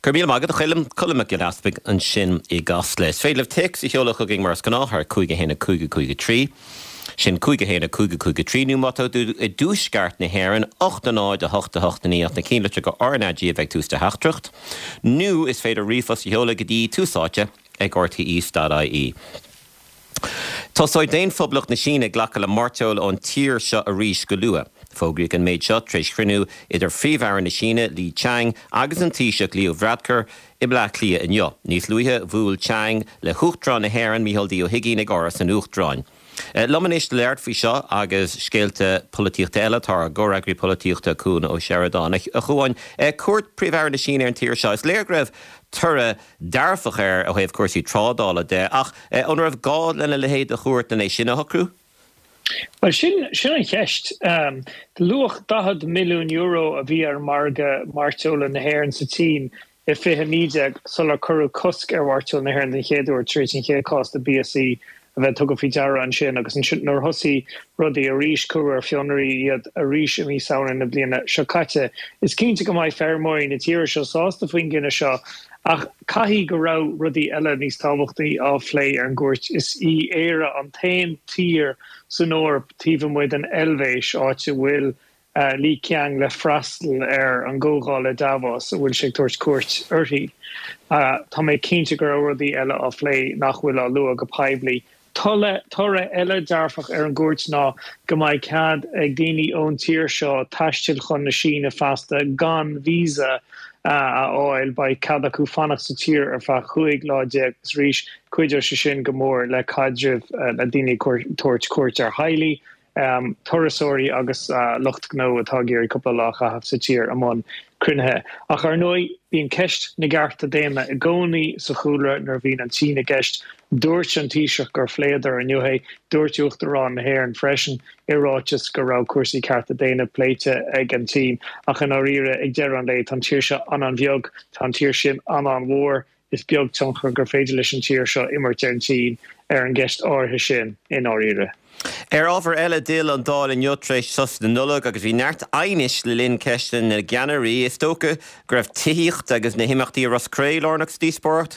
Go raibh míle maith agat, a Choilm. Colm Mac Giolla Easpaig ansin i gCasla. Is féidir libh téacs a sheoladh chugainn mar is gnáth ar 5 1 5 5 3. Sin 5 1 5 5 3 nó má tá tú i dtuaisceart na hÉireann, 8 0 8 8 9 ach na cinnlitreacha RnaG a bheith ag tús do theachtaireacht. Nó is féidir ríomhphost a sheoladh go dtí Tús Áite ag rte.ie. Tosóidh Daon-Phoblacht na Síne ag glacadh le mairteoil ón tír seo arís go luath. Fógraíodh an méid seo tar éis chruinniú idir Phríomh-Aire na Síne, Li Qiang, agus an Taoiseach Leo Varadkar i mBleá Cliath inniu. Níos luaithe, bhuail Chiang le hUachtarán na hÉireann, Micheál D. Ó hUigínn, ag Áras an Uachtaráin. Liom anois le labhairt faoi seo agus scéalta polaitíochta eile tá ár gcomhfhreagraí polaitíochta, Cuan Ó Seireadáin. A Chuain, cuairt Phríomh-Aire na Síne ar an tír seo, is léir go raibh toradh dearfach air ó thaobh cúrsaí trádála de, ach an raibh gá lena leithéid de chuairt len é sin a shocrú? Bhuel, sin, sin an cheist. Luach €40 milliún a bhí ar mhargadh mairteola na hÉireann sa tSín i 2019 sular cuireadh cosc ar mhairteoil na hÉireann den chéad uair tar éis an chéad chás de BSE a bheith tugtha faoi deara ansin agus ansin nuair a thosaigh rudaí arís cuireadh ar fionraí iad arís i mí Samhna na bliana seo caite. Is cinnte go mbeidh feirmeoirí na tíre seo sásta faoin gcinneadh seo ach caithfidh go raibh rudaí eile níos tábhachtaí á phlé ar an gcuairt. Is í Éire an t-aon tír san Eoraip taobh amuigh den Eilvéis áit a bhfuil Li Qiang le freastal ar an gcomhdháil i Davos a bhfuil sé ag tabhairt cuairt uirthi. Tá mé cinnte go raibh rudaí eile á phlé nach bhfuil á lua go poiblí. Toradh eile dearfach ar an gcuairt ná go mbeidh cead ag daoine ón tír seo taisteal chun na Síne feasta gan visa a fháil. Beidh cead acu fanacht sa tír ar feadh 15 lá agus arís cuideoidh sé sin go mór le caidrimh le daoine ag tabhairt cuairt ar theaghlaigh. turasóirí agus lucht gnó atá ag iarraidh cúpla lá a chaitheamh sa tír i mbun cruinnithe. Ach ar ndóigh, bíonn ceist na gcearta daonna i gcónaí sa chúlra nuair a bhíonn an tSín i gceist. Dúirt an Taoiseach gur phléadar inniu é. Dúirt Uachtarán na hÉireann freisin i ráiteas go raibh cúrsaí cearta daonna pléite ag an tSín. Ach i ndáiríre, ag deireadh an lae, tá an tír seo an-an-bheag, tá an tír sin an-an-mhór. Is beag tionchar gur féidir leis an tír seo imirt ar an tSín ar an gceist áirithe sin i ndáiríre. Ar ábhar eile, d'fhill an Dáil inniu tar éis sos na Nollag agus bhí neart aighnis le linn ceisteanna na gceannairí. Is dócha go raibh tithíocht agus na himeachtaí i Ros Cré lárnach sa díospóireacht?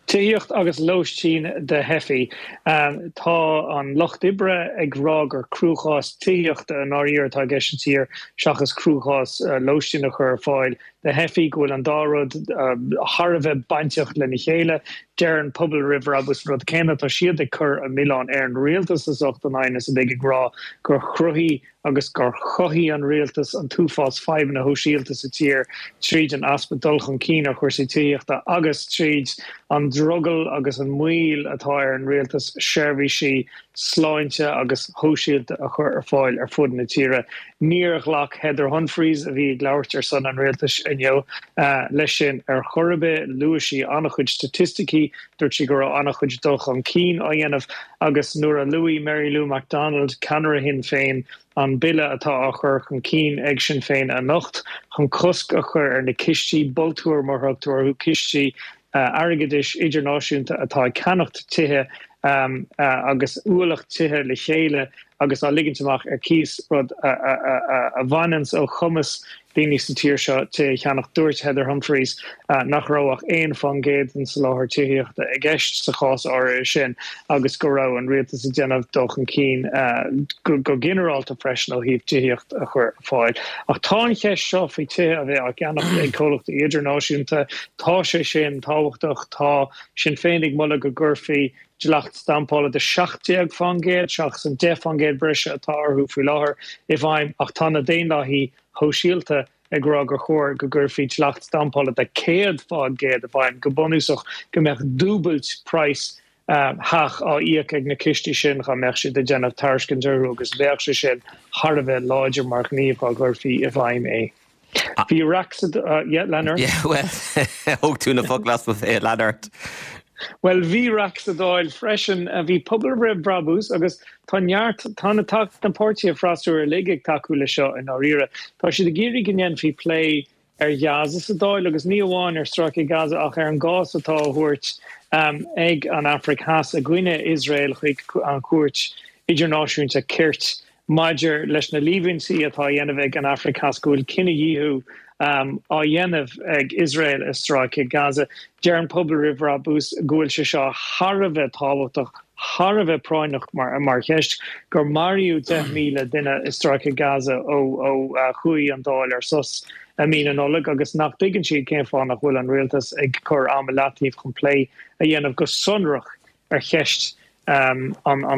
Tithíocht agus lóistín do theifigh. Tá an Lucht Oibre ag rá gur cruachás tithíochta i ndáiríre atá i gceist sa tír seachas cruachás lóistín a chur ar fáil do theifigh, go bhfuil an dá rud thar a bheith bainteach lena chéile. Deireann Pobal Roimh Bhrabús an rud céanna. Tá siad ag cur an milleán ar an rialtas as ucht an aighnis uilig, ag rá gur chruthaigh agus gur chothaigh an rialtas an t-uafás fadhbanna shóisialta sa tír tríd an easpa dul chun cinn ar chúrsaí tithíochta agus tríd an drogall agus an moill atá ar an rialtas seirbhísí sláinte agus shóisialta a chur ar fáil ar fud na tíre. Níor ghlac Heather Humphreys, a bhí ag labhairt ar son an rialtais inniu, leis sin ar chor ar bith. Luaigh sí an-chuid staitisticí, dúirt sí go raibh an-chuid dul chun cinn á dhéanamh agus nuair a luaigh Mary Lou McDonald, ceannaire Shinn Féin, an bille atá á chur chun cinn ag Sinn Féin anocht chun cosc a chur ar na cistí bultúir, mar a thugtar orthu, cistí airgeadais idirnáisiúnta atá ag ceannacht tithe agus ualach tithe le chéile agus á ligint amach ar cíos, rud a bhaineanns ó chumas daoine sa tír seo tithe a cheannach. Dúirt Heather Humphreys nach raibh ach 1% den soláthar tithíochta i gceist sa chás áirithe sin agus go raibh an rialtas ag déanamh dul chun cinn go ginearálta freisin ó thaobh tithíocht a chur ar fáil. Ach tá an cheist seo faoi tithe a bheith á gceannacht ag comhlachtaí idirnáisiúnta, tá sé sin tábhachtach. Tá Sinn Féin ag moladh go gcuirfí dleacht stampála de 17% seachas an 10% breise atá orthu faoi láthair i bhfeidhm ach tá na Daonlathaithe Shóisialta ag rá gur chóir go gcuirfí dleacht stampála de 100% i bhfeidhm, go bunúsach go mbeadh dúbailt praghas theach á íoc ag na cistí sin dá mbeadh siad ag déanamh tairiscint orthu agus bheadh sé sin thar a bheith láidir mar ghníomh dá gcuirfí i bhfeidhm é. Bhí raic sa, yeah, lean ort. Yeah, bhuel, thóg tú na focail as mo bhéal, lean ort. Bhuel, bhí raic sa Dáil freisin. Bhí Pobal Roimh Bhrabús agus tá neart, tá na, na páirtithe freasúra uilig ag tacú leis seo i ndáiríre. Tá siad ag iarraidh go ndéanfaí plé ar Ghaza sa Dáil agus ní amháin ar stráice Gaza ach ar an gcás atá á thabhairt ag an Afraic Theas i gcoinne Iosrael chuig an Chúirt Idirnáisiúnta Cirt maidir leis na líomhaintí atá á dhéanamh ag an Afraic Theas go bhfuil cinedhíothú. á dhéanamh ag Iosrael i Stráice Gaza. Deir an Pobal Roimh Bhrabús go bhfuil sé seo thar a bheith tábhachtach, thar a bheith práinneach mar cheist, gur maraíodh 10,000 duine i Stráice Gaza ó chuaigh an Dáil ar sos i mí na Nollag agus nach dtuigeann siad cén fáth nach bhfuil an rialtas ag cur am i leataobh chun plé a dhéanamh go sonrach ar cheist an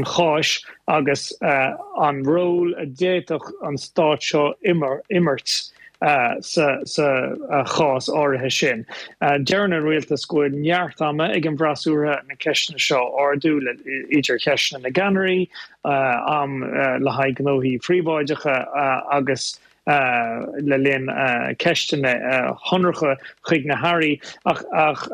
cháis agus an ról a d'fhéadfadh an stát seo imirt sa chás áirithe sin. Deireann an rialtas go bhfuil neart ama ag an bhfreasúra na ceisteanna seo a ardú, idir cheisteanna na gceannairí, am le haghaidh gnóthaí príobháideacha agus le linn ceisteanna shonracha chuig na hairí. Ach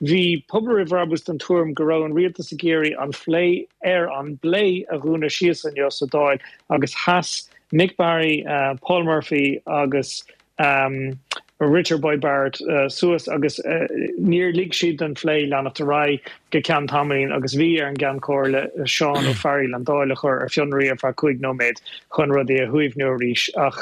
bhí Pobal Roimh Bhrabús den tuairim go raibh an rialtas ag iarraidh an phlé ar an bplé a dhúnadh síos inniu sa Dáil agus sheas Mick Barry, Paul Murphy agus Richard Boyd Barrett suas agus níor lig siad don phlé leanacht ar aghaidh go ceann tamaillín agus bhí ar an gCeann Comhairle Seán Ó Fearghaíl an Dáil a chur ar fionraí ar feadh 5 nóiméad chun rudaí a shuaimhniú arís. Ach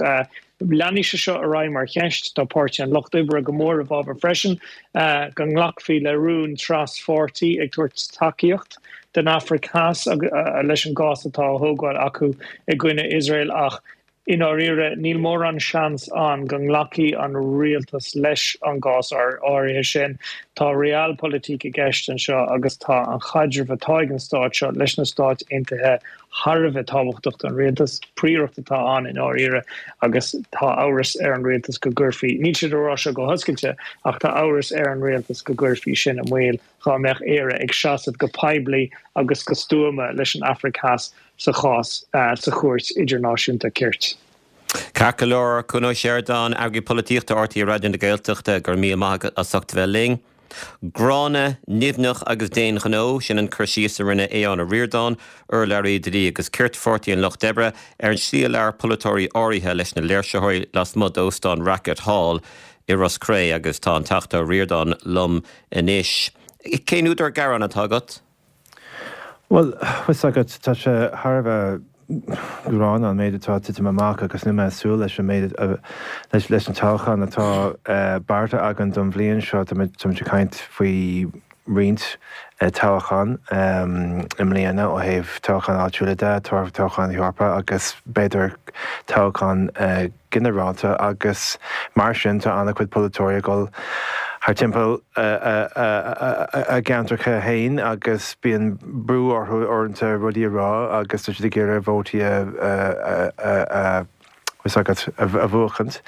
leanfaidh sé seo ar aghaidh mar cheist. Tá Páirtí an Lucht Oibre go mór i bhfabhar freisin go nglacfaí le rún tras-pháirtí ag tabhairt tacaíocht don Afraic Theas leis an gcás atá á thógáil acu i gcoinne Iosrael ach I ndáiríre, níl mórán seans ann go nglacfaidh an rialtas leis an gcás áirithe sin. Tá realpolitik i gceist anseo agus tá an chaidreamh atá ag an stát seo leis na Stáit Aontaithe thar a bheith tábhachtach don rialtas. Príoracht atá ann i ndáiríre agus tá amhras ar an rialtas go gcuirfí, níl siad ag rá seo go hoscailte, ach tá amhras ar an rialtas go gcuirfí sin i mbaol dhá mbeadh Éire ag seasamh go poiblí agus go stuama leis an Afraic Theas sa chás sa Chúirt Idirnáisiúnta Cirt. Ceart go leor, Cuan Ó Seireadáin, Eagraí Polaitíochta RTÉ Raidió na Gaeltachta, go raibh míle maith agat as ucht a bheith linn. Gránna, nimhneach agus d'aon ghnó, sin an cur síos a rinne Aodhán Ó Ríordáin, urlabhraí Dlí agus Cirt Pháirtí an Lucht Oibre, ar an slí a labhair polaiteoirí áirithe leis na léirsitheoirí lasmuigh d'Óstán Rackett Hall i Ros Cré agus tá an Teachta Ó Ríordáin liom anois. Cén údar gearáin atá agat? Bhuel, fios agat, tá sé thar a bheith gránna an méid atá ag titim amach agus níl mé ag súil leis an méid, leis an toghchán atá beartaithe againn don bhliain seo. Tá muid ag caint faoi roinnt toghchán i mbliana ó thaobh toghcháin áitiúla de, toghchán Eorpach agus b'fhéidir toghchán ginearálta agus mar sin tá an-chuid polaiteoirí ag dul thar timpeall a gceantracha féin agus bíonn brú orthu uaireanta rudaí a rá agus tá siad ag iarraidh vótaí a fios agat, a bhuachaint.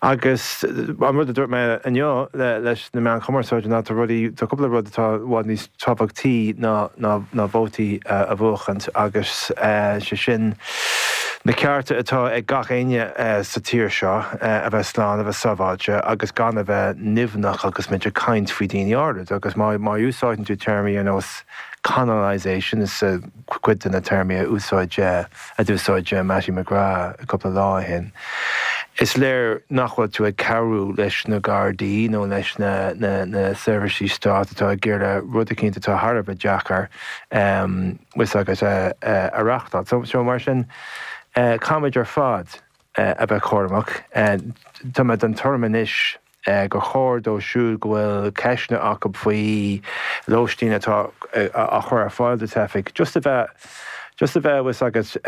Agus an rud a dúirt mé inniu leis na meáin chumarsáide ná tá rudaí, tá cúpla rud atá i bhfad níos tábhachtaí ná ná vótaí a bhuachaint agus sé sin na cearta atá ag gach éinne sa tír seo a bheith slán, a bheith sábháilte agus gan a bheith nimhneach agus muid ag caint faoi daoine áirid agus má má úsáideann tú téarmaí ar nós colonisation is cuid de na téarmaí a úsáid a d'úsáid Mattie McGrath cúpla lá ó shin. Is léir nach bhfuil tú ag cabhrú leis na Gardaí nó leis na seirbhísí stáit atá ag iarraidh rud eicínt atá thar a bheith deacair fios agat a reachtáil. So mar sin, caithfimid ar fad a bheith cúramach. Tá mé den tuairim anois gur chóir dóibh siúd go bhfuil ceisteanna acu faoi lóistín atá á chur ar fáil do theifigh, just a bheith, just a bheith, fios agat,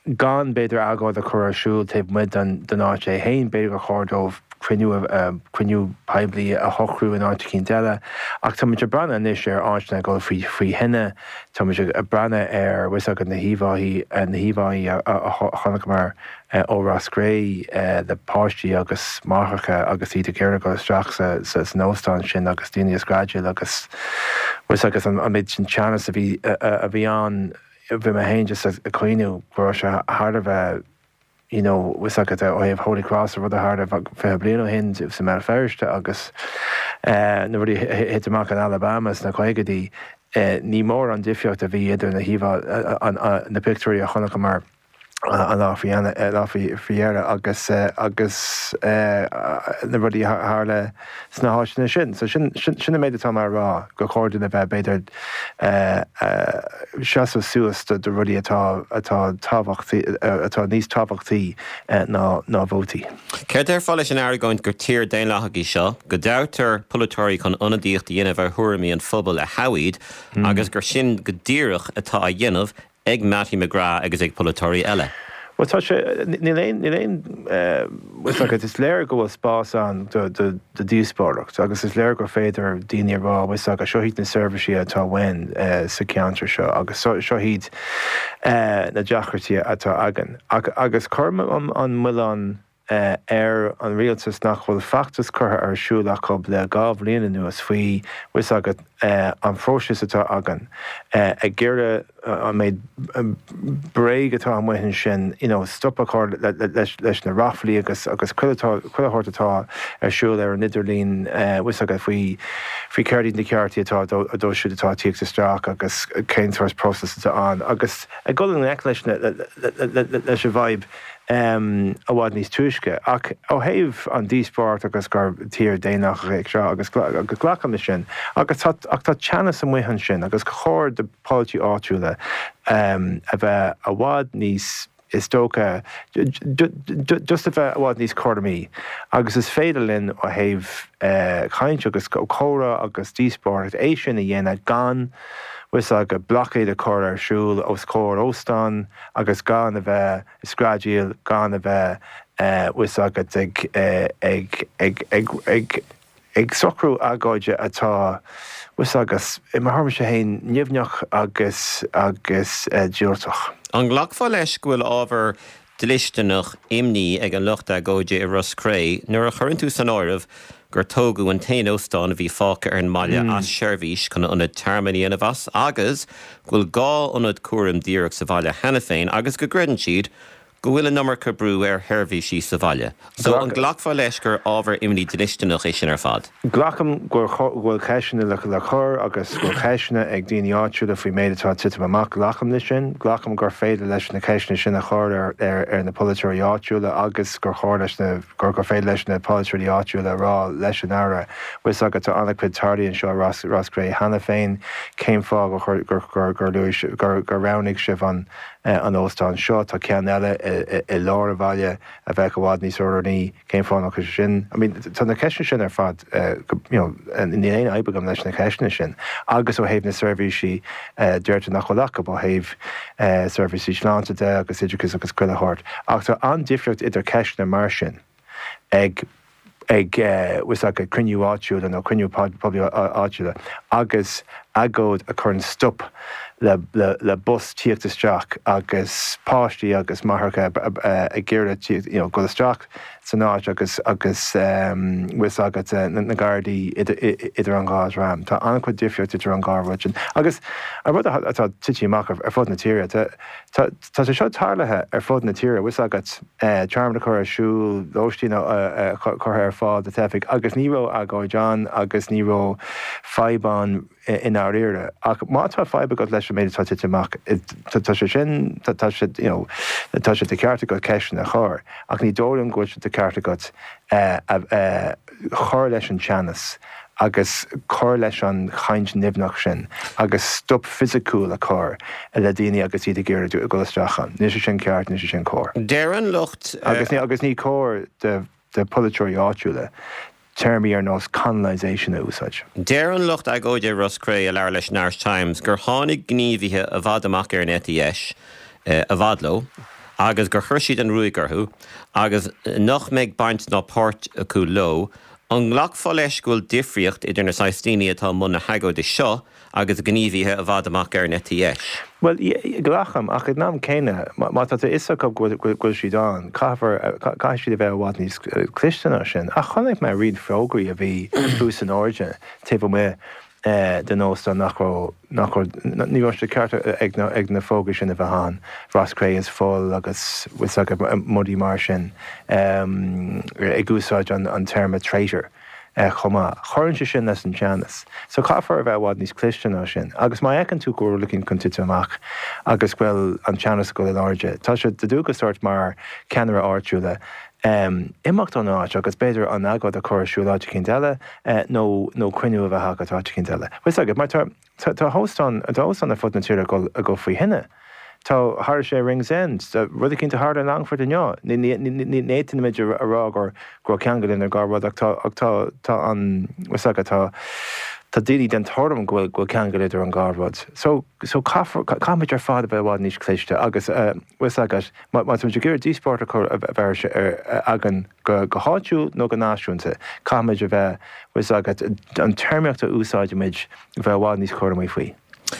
gan b'fhéidir agóid a chur ar siúl taobh amuigh den, den áit é féin, b'fhéidir gur chóir dóibh cruinniú, cruinniú poiblí a shocrú in áit eicínt eile. Ach tá muid ag breathnú anois ar áiteanna ag dul faoi, faoi thine, tá muid ag breathnú ar, fios agat, na híomháí, na híomháí a, a chonaiceamar ó Ros Cré le páistí agus máithreacha agus iad ag iarraidh dul isteach san óstán sin agus daoine ag screadaíl agus fios agat an méid sin teannas a bhí a bhí ann bhí mé féin just ag cuimhniú go raibh sé thar a bheith you know fios agat ó thaobh Holy Cross an rud a tharla 20 bliain ó shin sa mBéal Feirste agus na rudaí a thit amach in Alabama sna caogaidí ní mór an difríocht a bhí idir na híomhá na pictiúirí a chonaiceamar. An lá faoi lá faoi dheireadh agus agus na rudaí a tharla sna háiteanna sin. So sin sin an méid atá mé a rá, gur chóir dúinn a bheith b'fhéidir seasamh suas do do rudaí atá atá tábhachtaí atá níos tábhachtaí ná ná vótaí. Céard a déarfá leis an argóint gur tír daonlathach í seo, go dtoghtar polaiteoirí chun ionadaíocht a dhéanamh ar thuairimí an phobail a thogh iad agus gur sin go díreach atá á dhéanamh ag Mattie McGrath agus ag polaiteoirí eile. Bhuel, tá sé, níl aon, níl aon, bhfuil a fhios agat, is léir go bhfuil spás ann do, do, do dhíospóireacht agus is léir gur féidir daoine a rá, bhfuil a fhios agat, seo iad na seirbhísí atá uainn sa cheantar seo agus seo, seo iad na deacrachtaí atá againn. Ach, agus cuirim an, an milleán ar an rialtas nach bhfuil feachtas curtha ar siúl acu le 2 bhliain anuas faoi, bhfuil a fhios agat, an phróiseas atá againn ag iarraidh an méid bréag atá amuigh ansin, you know, stop a chur leis na ráflaí agus agus chuile chuile shórt atá ar siúl ar an idirlíon, bhfuil a fhios agat, faoi faoi céard iad na ceartaí atá dóibh siúd atá ag tíocht isteach agus cén sórt próiseas atá ann agus ag dul i ngleic leis na leis an bhfadhb. i bhfad níos túisce. Ach ó thaobh an díospóireacht agus gur tír daonlathach é seo agus glacaim leis sin agus tá ach tá teannas amuigh ansin agus chóir do polaiteoirí áitiúla a bheith i bhfad níos is dócha just a bheith i bhfad níos cúramaí agus is féidir linn ó thaobh caint agus comhrá agus díospóireacht é sin a dhéanamh gan bhfuil a fhios agat blockade a chur ar siúl os comhair óstán agus gan a bheith ag screadaíl, gan a bheith, bhfuil a fhios agat, ag, ag, ag, ag, ag, ag socrú agóide atá, bhfuil a fhios agat, i mo thuairimse féin, nimhneach agus, agus diúltach. An nglacfá leis go bhfuil ábhar dlisteanach imní ag an lucht agóide i Ros Cré nuair a chuireann tú san áireamh gur tógadh an t-aon óstán a bhí fágtha ar an mbaile as seirbhís chun ionad tearmainn a dhéanamh as agus go bhfuil 2 ionad cúraim díreach sa bhaile cheana féin agus go gcreideann siad go bhfuil an iomarca brú ar sheirbhísí sa bhaile. So, an nglacfá leis gur ábhar imní dlisteanach é sin ar fad? Glacaim go bhfuil ceisteanna le cur agus go bhfuil ceisteanna ag daoine áitiúla faoin méid atá ag titim amach. Glacaim leis sin. Glacaim gur féidir leis na ceisteanna sin a chur ar na polaiteoirí áitiúla agus gur chóir leis na, gur féidir leis na polaiteoirí áitiúla a rá leis an Aire, bhfuil a fhios agat, tá an-chuid teaghlaigh anseo i Ros Cré cheana féin, cén fáth gur luaigh, gur roghnaigh sibh an óstán seo? Tá ceann eile i lár an bhaile a bheadh i bhfad níos oiriúnaí. Cén fáth nach bhfuil sé sin? I mean, tá na ceisteanna sin ar fad, you know, níl aon fhadhb agam leis na ceisteanna sin. Agus ó thaobh na seirbhísí, deirtear nach bhfuil acu ó thaobh seirbhísí sláinte de agus oideachais agus chuile shórt. Ach tá an-difríocht idir ceisteanna mar sin ag, ag, bhfuil a fhios agat, cruinniú áitiúla nó cruinniú poiblí áitiúla agus agóid a chuireann stop le, le, le bus tíocht isteach agus páistí agus máithreacha ag iarraidh tíocht, you know, dul isteach san áit agus, agus bhfuil a fhios agat, na Gardaí idir, idir an dhá dhream. Tá an-chuid difríocht idir an dhá rud sin. Agus an rud atá tite amach ar fud na tíre, tá, tá, tá sé seo tarlaithe ar fud na tíre, bhfuil a fhios agat, tearmann a chur ar siúl, lóistín curtha ar fáil do theifigh agus ní raibh agóid ann agus ní raibh fadhb ann i ndáiríre. Ach má tá fadhb agat leis an méid atá tite amach, tá sé sin, tá sé, you know, tá sé de cheart agat ceisteanna a chur, ach ní dóigh liom go bhfuil sé de cheart agat cur leis an teannas agus cur leis an chaint nimhneach sin agus stop fisiciúil a chur le daoine agus iad ag iarraidh dul isteach ann. Níl sé sin ceart, níl sé sin cóir. Deir an lucht. Agus agus ní cóir do do pholaiteoirí áitiúla téarmaí ar nós colonisation a úsáid. Deir an lucht agóide i Ros Cré a labhair leis an Irish Times gur tháinig gníomhaithe i bhfad amach ar an eite dheis i bhfad leo agus gur chuir siad an ruaig orthu agus nach mbeidh baint ná páirt acu leo An nglacfá leis go bhfuil difríocht idir na saghas daoine atá i mbun na hagóide seo agus gníomhaithe i bhfad amach ar an eite dheis? Bhuel, glacaim, ach ag an am céanna, má tá a fhios acu go bhfuil siad ann, caithfear, caithfidh siad a bheith i bhfad níos cliste ná sin. Ach chonaic mé roinnt fógraí a bhí thuas in airde taobh amuigh den óstán nach raibh, nach raibh, ní raibh sé ceart ag na, ag na fógraí sin a bheith ann, Ros Cré is full agus bhfuil a fhios agat, rudaí mar sin, ag úsáid an, an téarma traitor. Chomh maith. Cuireann sé sin leis an teannas. So caithfear a bheith i bhfad níos cliste ná sin. Agus má fheiceann tú go bhfuil rud éicint chun titim amach agus go bhfuil an teannas ag dul in airde, tá sé de dhualgas ort mar cheannaire áitiúla imeacht ón áit agus b'fhéidir an agóid a chur ar siúl áit eicínt eile nó nó cruinniú a bheith agat áit eicínt eile. Bhfuil fhios agat, mar tá Tá tá óstáin tá óstáin ar fud na tíre ag dul ag dul faoi thine. Tá tharla sé i Ringsend, tá rud eicínt a tharla i Longfort inniu. Ní ní ní ní fhéadfaimid a rá gur go raibh ceangal idir an dhá rud ach tá ach tá tá an bhfuil fhios agat tá tá daoine den tuairim go bhfuil go bhfuil ceangal idir an dhá rud. So so caithfear caithfimid ar fad a bheith i bhfad níos cliste agus eh bhfuil fhios agat má má táimid ag iarraidh díospóireacht a chur a bheith ar againn go go háitiúil nó go náisiúnta caithfimid a bheith bhfuil fhios agat an téarmaíocht a úsáidimid a bheith i bhfad níos cúramaí faoi.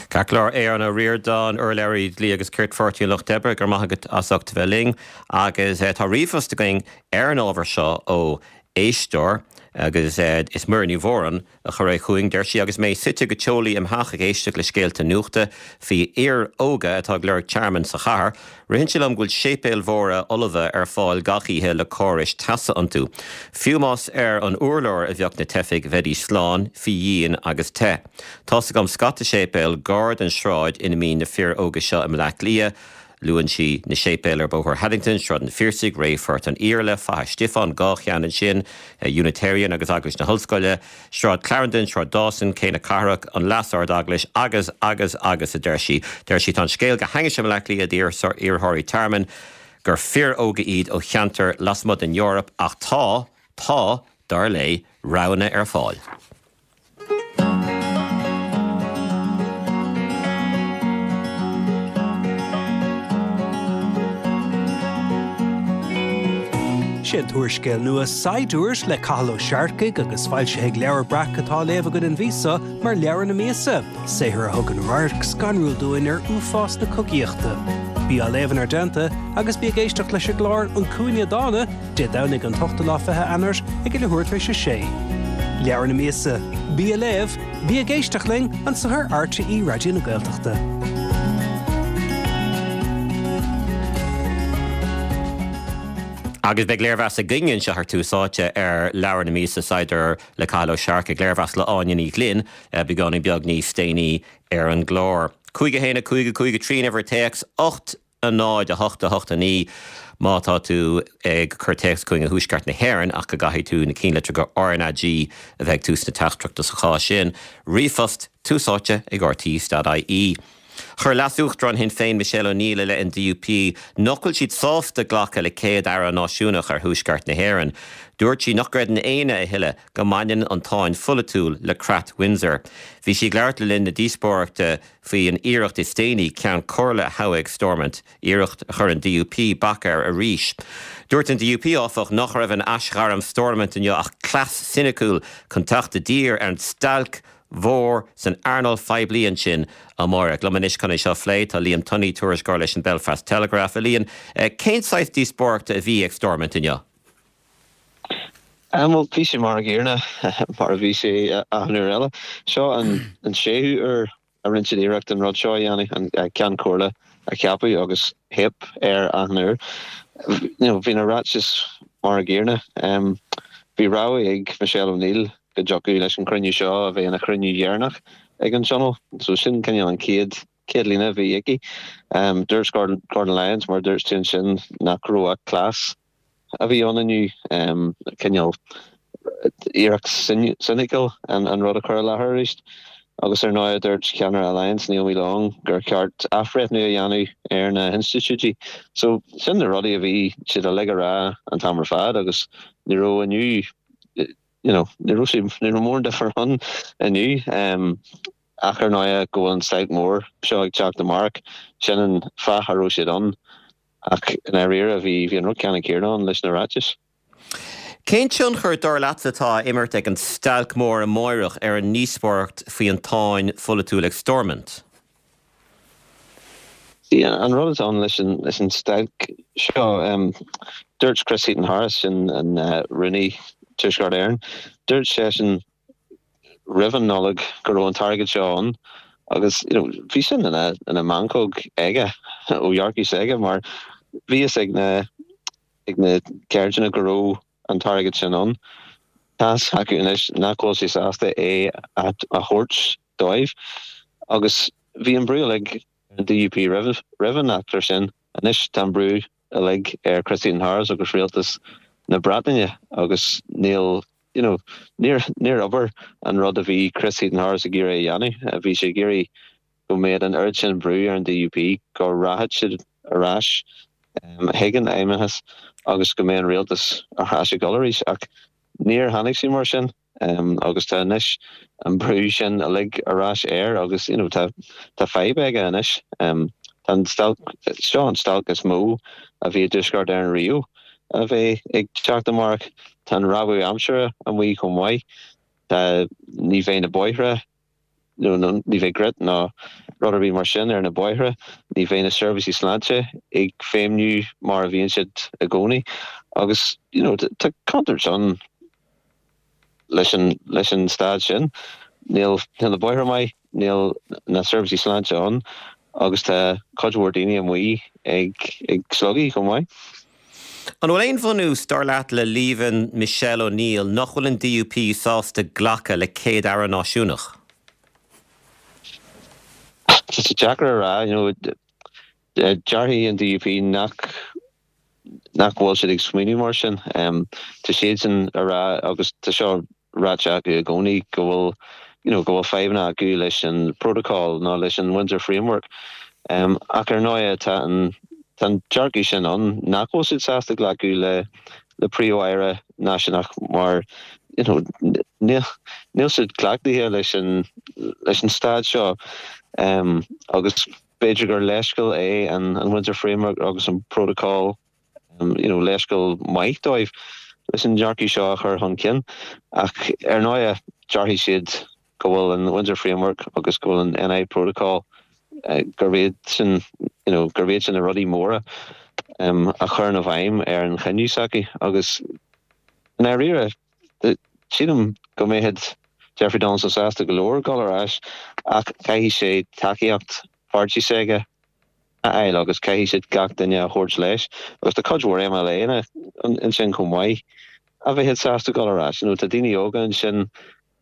Ceart go leor, Aodhán Ó Ríordáin, urlabhraí dlí agus cirt Pháirtí an Lucht Oibre, go raibh maith agat as ucht a bheith linn. Agus tá ríomhphost againn ar an ábhar seo ó éisteoir agus is Muireann Ní Mhóráin a chuir é chugainn. Deir sí, Agus mé suite go teolaí im theach ag éisteacht le scéalta nuachta faoi fhir óga atá ag lorg tearmainn sa chathair, Ritheann sé liom go bhfuil séipéil mhóra fholmha ar fáil gach oíche le córais teasa iontu. Fiú más ar an urlár a bheadh na teifigh, bheidís slán, faoi dhíon agus te. Tá's agam scata séipéal gar don sráid ina mbíonn na fir óga seo i mBleá Cliath. Luann sí na séipéil ar Bhóthar Haddington, Sráid an Phiarsaigh, Rae Phort an Iarla, Faiche Stiofáin, 2 cheann ansin, Unitarian agus Eaglais na hOllscoile, Sráid Clarendon, Sráid Dawson, Cé na Cathrach, an Leas-Ard-Eaglais agus, agus, agus, a deir sí. Deir sí, tá an scéal go hainnis i mBleá Cliath d'iarrthóirí tearmainn gur fir óga iad ó cheantair lasmuigh den Eoraip ach tá, tá, dar léi, roghanna ar fáil. Sé an t-úrscéal nua Saighdiúir le Cathal Ó Searcaigh agus foilsithe ag Leabhar Breac atá á léamh againn an mhí seo mar leabhar na míosa, saothar a thugann radharc scanrúil dúinn ar uafás na cogaíochta. Bí á léamh inár dteannta agus bí ag éisteacht leis an gclár An Cúinne Dána, Dé Domhnaigh an t-ochtú lá 20 Eanáir ag a leathuair tar éis a sé. Leabhar na míosa, bí á léamh, bí ag éisteacht linn anseo ar RTÉ Raidió na Gaeltachta. Agus beidh léirmheas againne anseo ar Tús Áite ar leabhar na míosa, Saighdiúir le Cathal Ó Searcaigh, léirmheas le Áine Ní Ghlinn, beagáinín beag níos déanaí ar an gclár. 5 1 5 5 3 an uimhir téacs, 8 0 8 8 9 má tá tú ag cur téacs chugainn ó thuaisceart na hÉireann ach go gcaithfidh tú na cinnlitreacha RnaG a bheith ag tús na teachtaireachta sa chás sin. Ríomhphost, Tús Áite ag rte.ie. Chuir Leas-Uachtarán Shinn Féin Michelle O'Neill i leith an DUP nach bhfuil siad sásta glacadh le Céad-Aire náisiúnach ar Thuaisceart na hÉireann. Dúirt sí nach gcreideann éinne a thuilleadh go mbaineann an tsáinn pholaitiúil le Creat Windsor. Bhí sí ag labhairt le linn na díospóireachta faoi an iarracht is déanaí Ceann Comhairle a thoghadh ag Stormont, iarracht a chuir an DUP bac air arís. Dúirt an DUP, áfach, nach raibh in aisghairm Stormont inniu ach cleas soiniciúil chun teacht i dtír ar an stailc mhór san earnáil phoiblí ansin amárach. Liom anois chun é seo a phlé tá Liam Tunney, tuairisceoir leis an Belfast Telegraph. A Liam, cén saghas díospóireachta a bhí ag Stormont inniu? Bhuel, bhí sé mar an gcéanna mar a bhí sé achan uair eile. Seo an séú uair a rinne siad iarracht an rud seo a dhéanamh, an Ceann Comhairle a cheapadh agus theip air achan uair. Bhí na ráitis mar an gcéanna. Bhí rabhadh ag Michelle O'Neill go dtiocfadh leis an chruinniú seo a bheith ina chruinniú dheireanach ag an Tionól. So sin cineál an chéad chéad líne a bhí aici. Dúirt Gordon Lyons, mar a dúirt tú ansin, nach raibh ach cleas a bhí ann inniu, cineál iarracht soiniciúil an rud a chur i láthair arís. Agus ar ndóigh, dúirt ceannaire Alliance, Naomi Long, gur cheart athbhreithniú a dhéanamh ar na hinstitiúidí. So, sin na rudaí a bhí siad uilig a rá an t-am ar fad agus ní raibh inniu, you know, ní raibh sé, ní raibh mórán difear ann inniu. Ach ar ndóigh go bhfuil an stailc mhór seo ag teacht amárach, sin an fáth a raibh siad ann. Ach i ndáiríre, bhí bhí an rud ceannann céanna ann leis na ráitis. Cén tionchar, dar leatsa, atá á imirt ag an stailc mhór amáireach ar an ndíospóireacht faoi an tsáinn pholaitiúil ag Stormont? See, an rud atá ann leis an leis an stailc seo, dúirt Chris Heaton-Harris, sin an Rúnaí Tuaisceart Éireann, dúirt seisean roimh an Nollaig go raibh an t-airgead seo ann agus you know bhí sin ina ina mheancóg aige ó dhearcadh s'aige mar bhí fhios ag na ag na ceardchumainn go raibh an t-airgead sin ann. Tá's acu anois nach bhfuil sé sásta é a thabhairt dóibh agus bhí an brú uilig ar an DUP roimh an eachtra sin. Anois tá an brú uilig ar Chris Heaton-Harris agus rialtas na Breataine agus níl, you know, níor, níor obair an rud a bhí Chris Heaton-Harris ag iarraidh a dhéanamh. Bhí sé ag iarraidh go mbeadh an oiread sin brú ar an DUP go rachadh siad ar ais chuig an Fheidhmeannas agus go mbeadh an rialtas ar ais ag dul arís. Ach níor tháinig sé mar sin agus tá anois an brú sin uilig ar ais air agus you know tá tá fadhb aige anois. Tá an stailc, seo an stailc is mó a bhí i dTuaisceart Éireann riamh a bheidh ag teacht amárach. Tá an rabhadh aimsire amuigh chomh maith. Tá, ní bheidh na bóithre nó ní bheidh grit ná rud ar bith mar sin ar na bóithre, ní bheidh na seirbhísí sláinte ag feidhmiú mar a bhíonn siad i gcónaí agus you know tá contúirt ann leis an leis an staid sin. Níl níl na bóithre maith, níl na seirbhísí sláinte ann agus tá cuid mhór daoine amuigh ag ag slogadh chomh maith. An bhfuil aon bhunús, dar leat, le líomhain Michelle O'Neill nach bhfuil an DUP sásta glacadh le Céad-Aire náisiúnach? Tá sé deacair a rá. You know, déarfaidh an DUP nach nach bhfuil siad ag smaoineamh mar sin. Tá siadsan a rá, agus tá seo ráite acu i gcónaí, go bhfuil you know go bhfuil fadhbanna acu leis an protocol nó leis an Windsor Framework. Ach ar ndóigh tá an tá an dearcadh sin ann nach bhfuil siad sásta glacadh le le Príomh-Aire náisiúnach mar you know níl níl siad cleachtaithe leis an leis an staid seo agus b'fhéidir gur leithscéal é an an Windsor Framework agus an protocol you know, leithscéal maith dóibh leis an dearcadh seo a chur chun cinn. Ach ar ndóigh, déarfaidh siad go bhfuil an Windsor Framework agus go bhfuil an NI Protocol, gurb iad sin, you know, gurb iad sin na rudaí móra a chuireann i bhfeidhm ar an chinneadh s'acu. Agus i ndáiríre, sílim go mbeadh Jeffrey Donaldson sásta go leor dul ar ais ach caithfidh sé tacaíocht pháirtí s'aige a fháil agus caithfidh siad gach duine a thabhairt leis agus tá cuid mhór MLA-anna ansin chomh maith a bheadh sásta dul ar ais. You know, tá daoine óga ansin,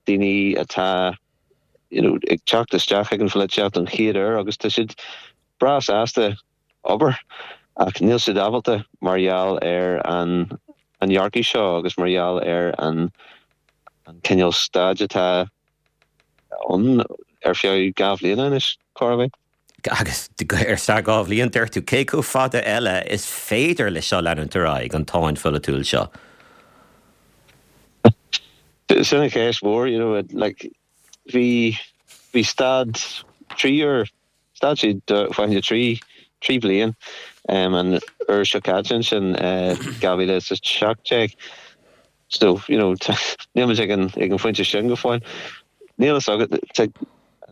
daoine atá you know, ag teacht isteach ag an pholaitíocht don chéad uair agus tá siad breá sásta obair ach níl siad ábalta mar gheall ar an an dearcadh seo agus mar gheall ar an an cineál staid atá ann ar feadh 2 bhliana anois, chor ar bith. Agus ar feadh 2 bhliain, deir tú, cé chomh fada eile is féidir leis seo leanúint ar aghaidh, an tsáinn pholaitiúil seo? Sin an cheist mhór, you know, like, bhí, bhí stad 3 uair, stad sé fá choinne 3, 3 bliain, an uair seo caite ansin, 2017. So, you know, níl muid ag an, ag an phointe sin go fóill. Níl fhios agat, tá,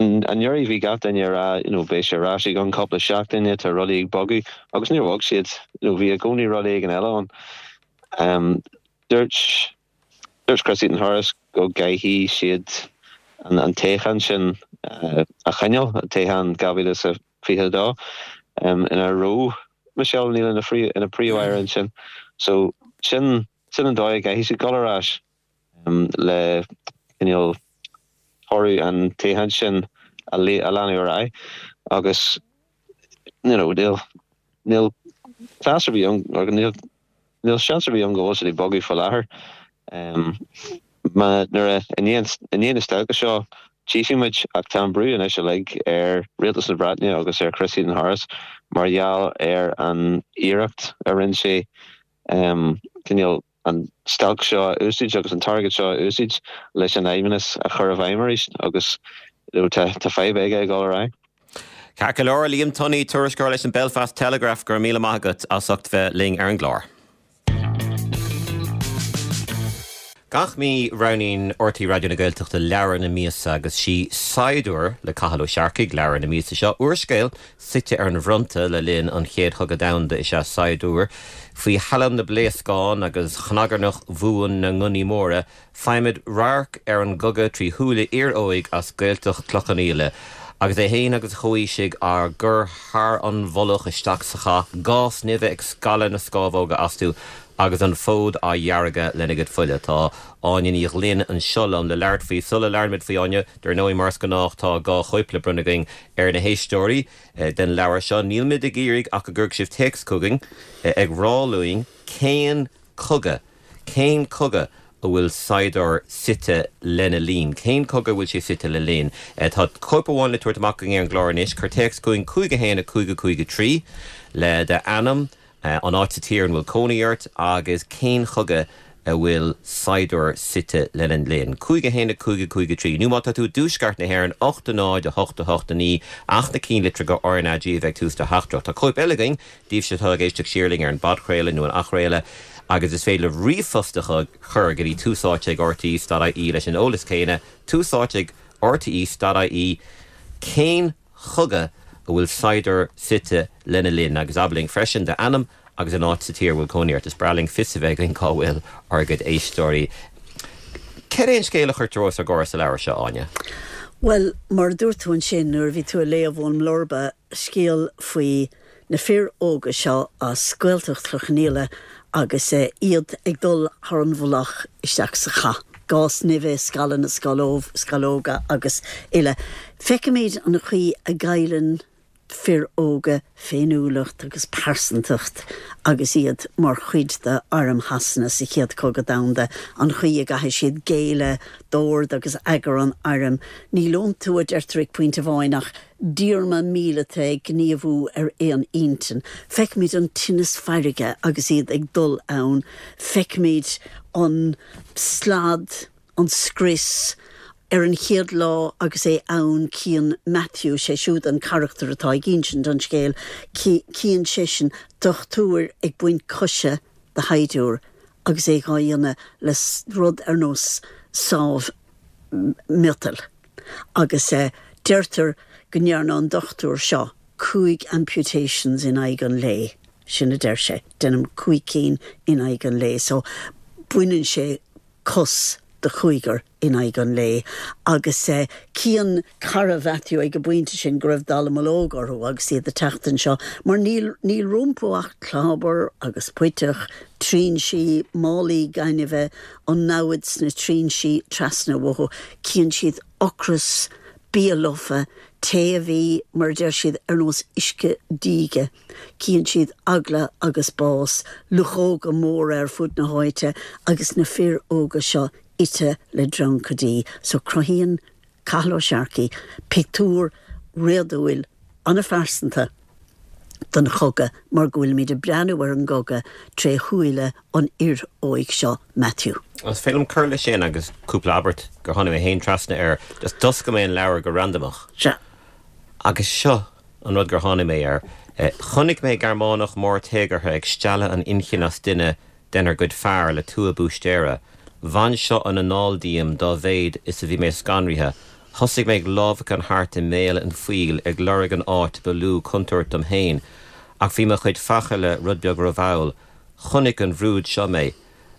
anuraidh bhí gach duine ag rá, you know, beidh sé ar ais i gceann cúpla seachtaine, tá rudaí ag bogadh, agus níor bhog siad, you know, bhí i gcónaí rud éigin eile ann. Um, dúirt, dúirt Chris Heaton-Harris go gcaithfidh siad an, an toghchán sin uh, a choinneáil, an toghchán 2022, um, ina raibh Michelle O'Neill ina, ina príomh-aire ansin. So, sin, Sin an dóigh a gcaithfidh siad dul ar ais le cineál toradh an toghcháin sin a leanadh ar aghaidh agus you know níl níl cleas ar bith ann níl níl seans ar bith ann go bhfuil siad ag bogadh faoi láthair. Má nuair a i ndiaidh i ndiaidh na stailce seo tchífidh muid ach tá an brú anois uilig ar Rialtas na Breataine agus ar Chris Heaton-Harris mar gheall ar an iarracht a rinne sé cineál an stailc seo a úsáid agus an t-airgead seo a úsáid leis an fheidhmeannas a chur i bhfeidhm arís agus tá fadhb aige ag dul ar aghaidh. Ceart go leor, Liam Tunney, tuairisceoir leis an Belfast Telegraph, go raibh míle maith agat as ucht bheith linn ar an gclár. Gach mí roghnaíonn RTÉ Raidió na Gaeltachta leabhar na míosa agus sí Saighdiúir le Cathal Ó Searcaigh leabhar na míosa seo, úrscéal Suite ar an bhfronta le linn an Chéad Chogadh Domhanda is ea Saighdiúir. Faoi thallann na bpléascán agus chnagarnach bhuan na ngunnaí móra, faighimid radharc ar an gcogadh trí shúile fhir óig as Gaeltacht Chloich Cheann Fhaola. Agus é féin agus a chomhaoisigh á gcur thar an mhullach isteach sa chath, gás nimhe ag scaladh na scámhóga astu. Agus an fód á dheargadh lena gcuid fola. Tá Áine Ní Ghlinn anseo liom le labhairt faoi. Sula labhraímid faoi, Áine, dar ndóigh, mar is gnách, tá 2 chóip le bronnadh againn ar na héisteoirí den leabhar seo. Nílimid ag iarraidh ach go gcuirfidh sibh téacs chugainn ag rá linn cén cogadh, cén cogadh a bhfuil saighdiúir suite lena linn? Cén cogadh a bhfuil sé suite le linn? Tá cóip amháin le tabhairt amach againn ar an gclár anois. Cuir téacs chugainn 5 1 5 5 3 le d'ainm, an áit sa tír ina bhfuil cónaí ort agus cén chogadh a bhfuil saighdiúir suite lena linn. 5 1 5 5 3 Nó má tá tú i dtuaisceart na hÉireann, 8 0 8 8 9 ach na cinnlitreacha RnaG a bheith ag tús do theachtaireacht. Tá cóip eile againn daoibhse atá ag éisteacht siar linn ar an bpodchraoladh nó an athchraoladh agus is féidir libh ríomhphost a chur go dtí tús áite ag rte.ie leis an eolas céanna, tús áite ag rte.ie Cén chogadh a bhfuil saighdiúir suite lena linn agus abair linn freisin d'ainm agus an áit sa tír a bhfuil cónaí ort. Is breá linn fios a bheith againn cá bhfuil ár gcuid éisteoirí. Cad é an scéal a chuirtear os ár gcomhair sa leabhar seo, Áine? Bhuel, mar a dúirt tú ansin nuair a bhí tú ag léamh ón mblurba, scéal faoi na fir óga seo as Gaeltacht Chloich Cheann Fhaola agus iad ag dul thar an mhullach isteach sa chath. Gás nimhe, scalladh na scamhóga agus uile. Feicimid an chaoi a gcailleann fir óga féiniúlacht agus pearsantacht agus iad mar chuid d'arm Shasana sa Chéad Chogadh Domhanda, an chaoi a gcaithfidh siad géilleadh d'ord agus eagar an airm. Níl iontu, a deirtear ag pointe amháin, ach díorma míleata ag gníomhú ar aon intinn. Feicimid an tinneas feirge agus iad ag dul ann. Feicimid an slad, an scrios. Ar an chéad lá agus é ann cíonn Matthew, sé siúd an carachtar atá ag insint an scéil, cíonn seisean dochtúir ag baint coise de shaighdiúir agus é dhá dhéanamh le rud ar nós sábh miotail. Agus deirtear go ndearna an dochtúir seo 5 amputations in aghaidh an lae, sin a deir sé, déanaim 5 cinn in aghaidh an lae, so baineann sé cos de chúigear in aghaidh an lae. Agus cíonn cara Mhatthew ag an bpointe sin go raibh dallamullóg orthu agus iad ag teacht anseo, mar níl, níl rompu ach clábar agus puiteach, trinsí, málaí gainimhe, an namhaid sna trinsí trasna uathu. Cíonn siad ocras, bia lofa, tae a bhí, mar a deir siad, ar nós uisce díge. Cíonn siad eagla agus bás, luchóga móra ar fud na háite agus na fir óga seo ite le dreancaidí. So cruthaíonn Cathal Ó Searcaigh pictiúr réadúil an-phearsanta den chogadh mar go bhfuilimid ag breathnú ar an gcogadh tré shúile an fhir óig seo, Matthew. Is féidir liom cur leis sin agus cúpla abairt gur tháinig mé féin trasna air. Just d'oscail mé an leabhar go randamach. Sea. Agus seo an rud gur tháinig mé air. Chonaic mé Gearmánach mór téagartha ag stealladh an inchinn as duine denár gcuid fear le tua búistéara. Bhain seo an anáil díom dá mhéad is a bhí mé scanraithe. Thosaigh mé ag lámhacán thart i mbéal an phoill ag lorg an áit ba lú contúirt dom féin. Ach bhí mo chuid fachaille rud beag rómhall. Chonaic an bhrúid seo mé.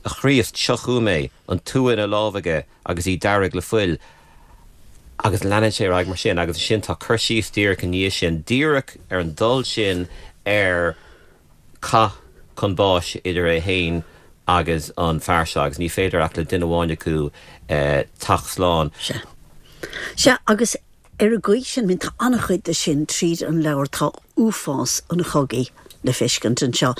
A Chríost, seo chugam é, an tua ina lámh aige agus í dearg le fuil. Agus leanann sé ar aghaidh mar sin agus ansin tá cur síos díreach i ndiaidh sin, díreach ar an dul sin ar cath chun báis idir é féin agus an fear seo agus ní féidir ach le duine amháin acu teacht slán. Sea. Sea, agus ar an gcaoi sin, I mean, tá an-chuid de sin tríd an leabhar, tá uafás an chogaidh le feiscint anseo.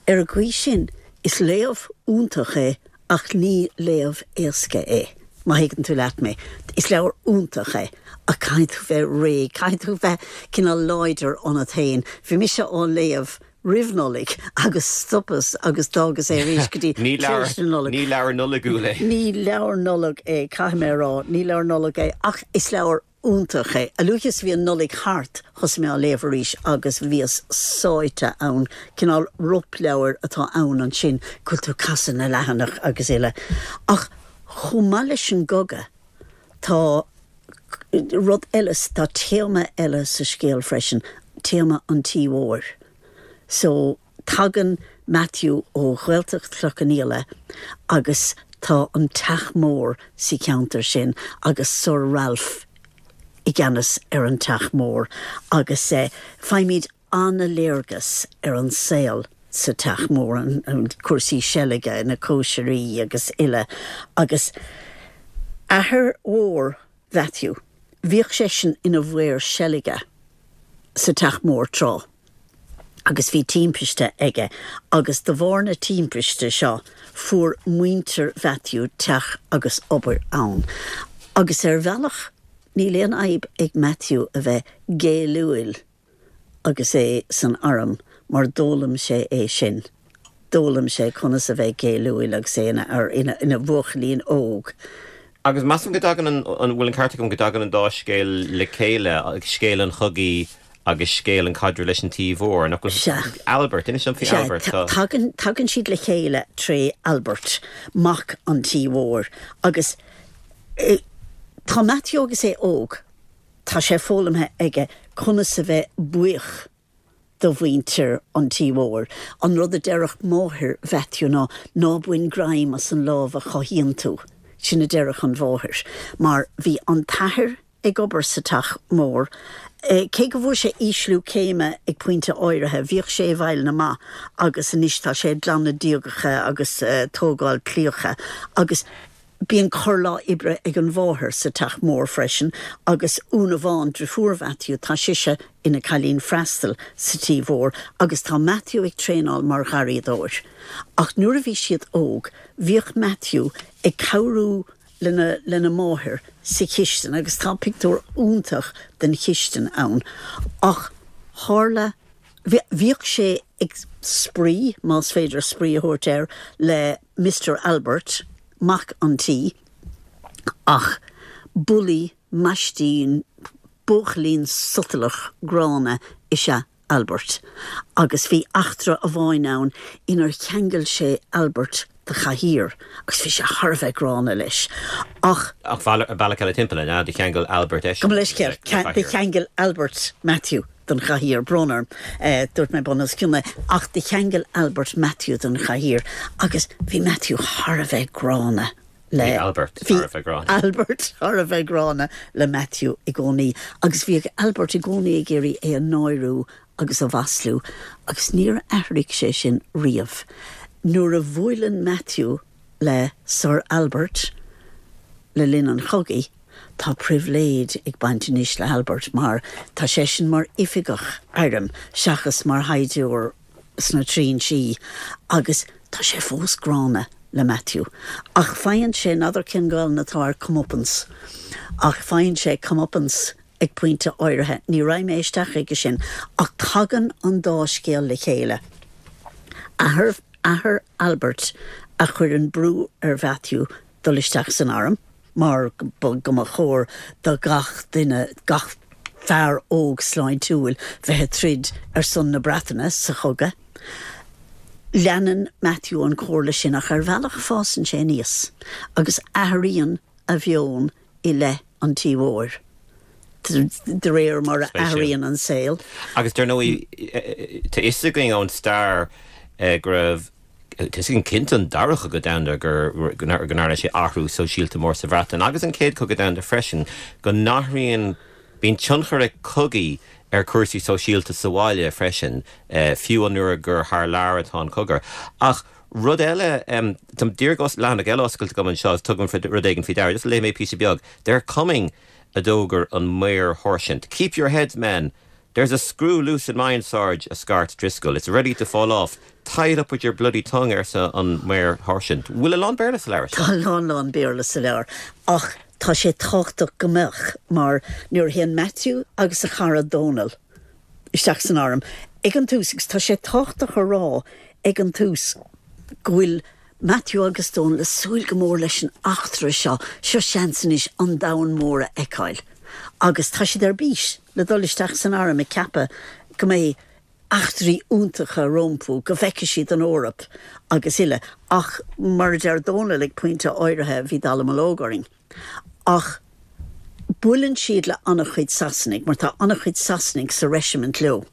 Ar an gcaoi sin, is léamh iontach é Ach ní léamh éasca é, má thuigeann tú leat mé. Is leabhar iontach é, ach caithfidh tú bheith réidh, caithfidh tú bheith cineál láidir ionat féin. Bhí mise á léamh roimh Nollaig agus stopas agus d'fhágas é arís go dtí tar éis na Nollag. Ní leabhar Nollaigiúil é. Ní leabhar Nollag é, caithfidh mé a rá, ní leabhar Nollag é, ach is leabhar iontach é. A luaithe is a bhí an Nollaig thart, thosaigh mé á léamh arís agus bhíos sáite ann. Cineál ropleabhair atá ann ansin, go bhfuil tú ag casadh na leathanach agus uile. Ach chomh maith leis an gcogadh, tá rud eile, tá téama eile sa scéal freisin, téama an tí mhóir. So, tagann Matthew ó Ghaeltacht Chloich Cheann Fhaola agus tá an teach mór sa cheantar sin agus Sir Ralph i gceannas ar an teach mór agus faighimid an-léargas ar an saol. sa teach mór, an cúrsaí seilge, na cóisirí agus uile agus athair mhór Mhatthew, bhíodh seisean ina mhaor seilge sa teach mór tráth agus bhí timpiste aige agus de bharr na timpiste seo fuair muintir Mhatthew teach agus obair ann. Agus ar bhealach níl aon fhadhb ag Matthew a bheith géilliúil agus é san arm mar d'fhoghlaim sé é sin. D'fhoghlaim sé conas a bheith géilliúil agus é ina fhear, ina bhuachaillín óg. Agus measaim go dtagann an, an bhfuil an ceart agam go dtagann an dá scéal le chéile, scéal an chogaidh agus scéal an caidreamh leis an Tí Mhór, nach bhfuil? Sea. Albert, inis dom faoi Sea, Albert. Tá. tagann, tagann siad le chéile tré Albert, mac an Tí Mhóir. Agus tá Matthew agus é óg. Tá sé foghlamtha aige conas a bheith buíoch do mhuintir an tí mhóir. An rud a déarfadh máthair Mhatthew ná, ná bain greim as an lámh a chothaíonn tú. Sin a déarfadh an mháthair. Mar bhí an t-athair ag obair sa teach mór. Cé go bhfuair sé ísliú céime ag pointe áirithe, bhíodh sé i bhfeighil na mba agus anois tá sé ag glanadh díogacha agus tógáil claíocha agus Bíonn corrlá oibre ag an mháthair sa teach mór freisin agus Úna Bhán, driofúr Mhatthew, tá sise ina cailín freastail sa tí mhór agus tá Matthew ag traenáil mar gharraíodóir. Ach nuair a bhí siad óg, bhíodh Matthew ag cabhrú lena lena máthair sa chistin agus tá pictiúr iontach den chistin ann. Ach tharla, bhíodh sé ag spraoi, más féidir spraoi a thabhairt air, le Mister Albert, mac an tí, ach bulaí, maistín, buachaillín sotalach gránna is ea Albert. Agus bhí eachtra amháin ann inar cheangail sé Albert de chathaoir agus bhí sé thar a bheith gránna leis. Ach. Ach bealach eile timpeall, an ea? Do cheangail Albert eisean Gabh mo leithscéal, do cheangail Albert Matthew. don chathaoir, brón orm, dúirt mé bun os cionn é, ach do cheangail Albert Matthew don chathaoir agus bhí Matthew thar a bheith gránna le. Bhí Albert thar a bheith gránna. Albert thar a bheith gránna le Matthew i gcónaí agus bhíodh Albert i gcónaí ag iarraidh é a náiriú agus a mhaslú agus níor athraigh sé sin riamh. Nuair a bhuaileann Matthew le Sir Albert le linn an chogaidh, tá pribhléid ag baint anois le hAlbert mar tá seisean mar oifigeach airm seachas mar shaighdiúir sna trinsí agus tá sé fós gránna le Matthew. Ach faigheann sé, n'fheadar cén Ghaelainn atá ar comeuppance, ach faigheann sé comeuppance ag pointe áirithe. Ní raghaidh mé isteach aige sin ach tagann an dá scéal le chéile. Athair athair Albert a chuireann brú ar Mhatthew dul isteach san arm mar go mba chóir do gach duine, gach fear óg sláintiúil bheith ag troid ar son na Breataine sa chogadh. Leanann Matthew an chomhairle sin ach ar bhealach fásann sé aníos agus athraíonn a mheon i leith an tí mhóir de réir mar a athraíonn an saol. Agus dar ndóigh, tá fhios againn ón stair go raibh, tá fhios againn cinnte an Dara Cogadh Domhanda go ndearna sé athrú sóisialta mór sa Bhreatain agus an Chéad Chogadh Domhanda freisin, go n-athraíonn, bíonn tionchar ag cogaí ar chúrsaí sóisialta sa bhaile freisin, fiú an uair gur thar lear atá an cogadh. Ach Rud eile, tá díreach leathanach eile oscailte agam anseo agus tugaim rud éigin faoi deara. Just léifidh mé píosa beag. They're coming, a d'fhógair an maorsháirsint. Keep your heads, men! There's a screw loose in mine, Sarge, a scairt Driscoll. It's ready to fall off. Tie it up with your bloody tongue, arsa an maorsháirsint. Bhfuil a lán Béarla sa leabhar seo? Tá a lán lán Béarla sa leabhar ach tá sé tábhachtach go mbeadh mar nuair a théann Matthew agus a chara Dónal isteach san arm ag an tús agus tá sé tábhachtach a rá ag an tús go bhfuil Matthew agus Dónal ag súil go mór leis an eachtra seo, seo seans anois an domhan mór a fheiceáil agus tá siad ar bís le dul isteach san arm ag ceapadh go mbeidh eachtraí iontacha rompu, go bhfeicfidh siad an Eoraip agus uile ach mar a deir Dónal ag pointe áirithe bhí dallamullóg orainn. Ach buaileann siad le an-chuid Sasanaigh, mar tá an-chuid Sasanaigh sa reisimint leo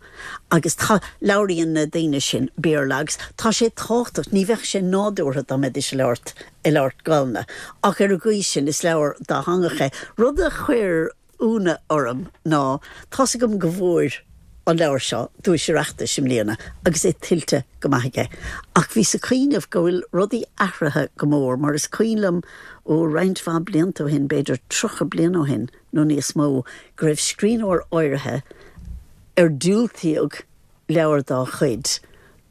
agus tá, labhraíonn na daoine sin Béarla agus tá sé tábhachtach, ní bheadh sé nádúrtha dá mbeidís ag labhairt, ag labhairt Gaelainne. Ach ar an gcaoi sin, is leabhar dátheangach é. Rud a chuir ionadh orm ná, tá's agam go bhfuair. an leabhar seo duais Oireachtais i mbliana agus é tuillte go maith aige. Ach bhíos ag cuimhneamh go bhfuil rudaí athraithe go mór mar is cuimhin liom ó roinnt mhaith blianta ó shin, b'fhéidir 30 bliain ó shin nó níos mó, go raibh scríbhneoir áirithe ar diúltaíodh leabhar dá chuid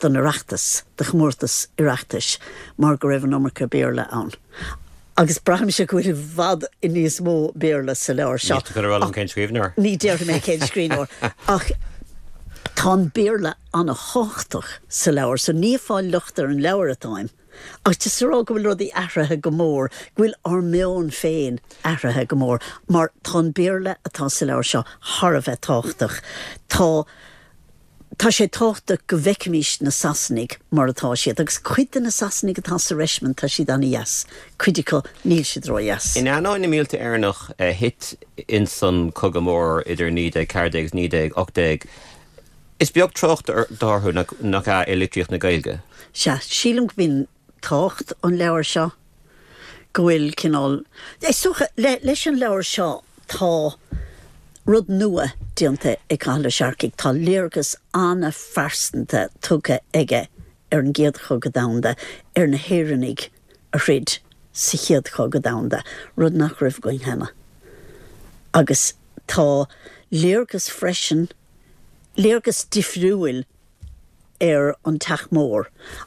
don Oireachtas, do chomórtas Oireachtais, mar go raibh an iomarca Béarla ann. Agus braithimse go bhfuil i bhfad níos mó Béarla sa leabhar seo. Níl tú chun a rá liom cén scríbhneoir? Ní déarfaidh mé cén scríbhneoir, ach tá an Béarla an-thábhachtach sa leabhar, so ní ag fáil locht ar an leabhar atáim, ach just a rá go bhfuil rudaí athraithe go mór, go bhfuil ár meon féin athraithe go mór, mar tá an Béarla atá sa leabhar seo thar a bheith tábhachtach. Tá. Tá sé tábhachtach go bhfeicfimis na Sasanaigh mar atá siad, agus cuid de na Sasanaigh atá sa reisimint, tá siad an-dheas, cuid acu, níl siad ró-dheas. In ainneoin na mílte Éireannach a thit ins an Cogadh Mór idir 1914 agus 1918, is beag trácht orthu, nach ea, i litríocht na Gaeilge? Sea, sílim go b'in tábhacht an leabhair seo, go bhfuil cineál, is dócha, leis an leabhar seo tá rud nua déanta ag Cathal Ó Searcaigh, tá léargas an-phearsanta tugtha aige ar an gCéad Chogadh Domhanda, ar na hÉireannaigh a throid sa Chéad Chogadh Domhanda, rud nach raibh againn cheana. Agus tá léargas freisin, léargas difriúil, ar an Teach Mór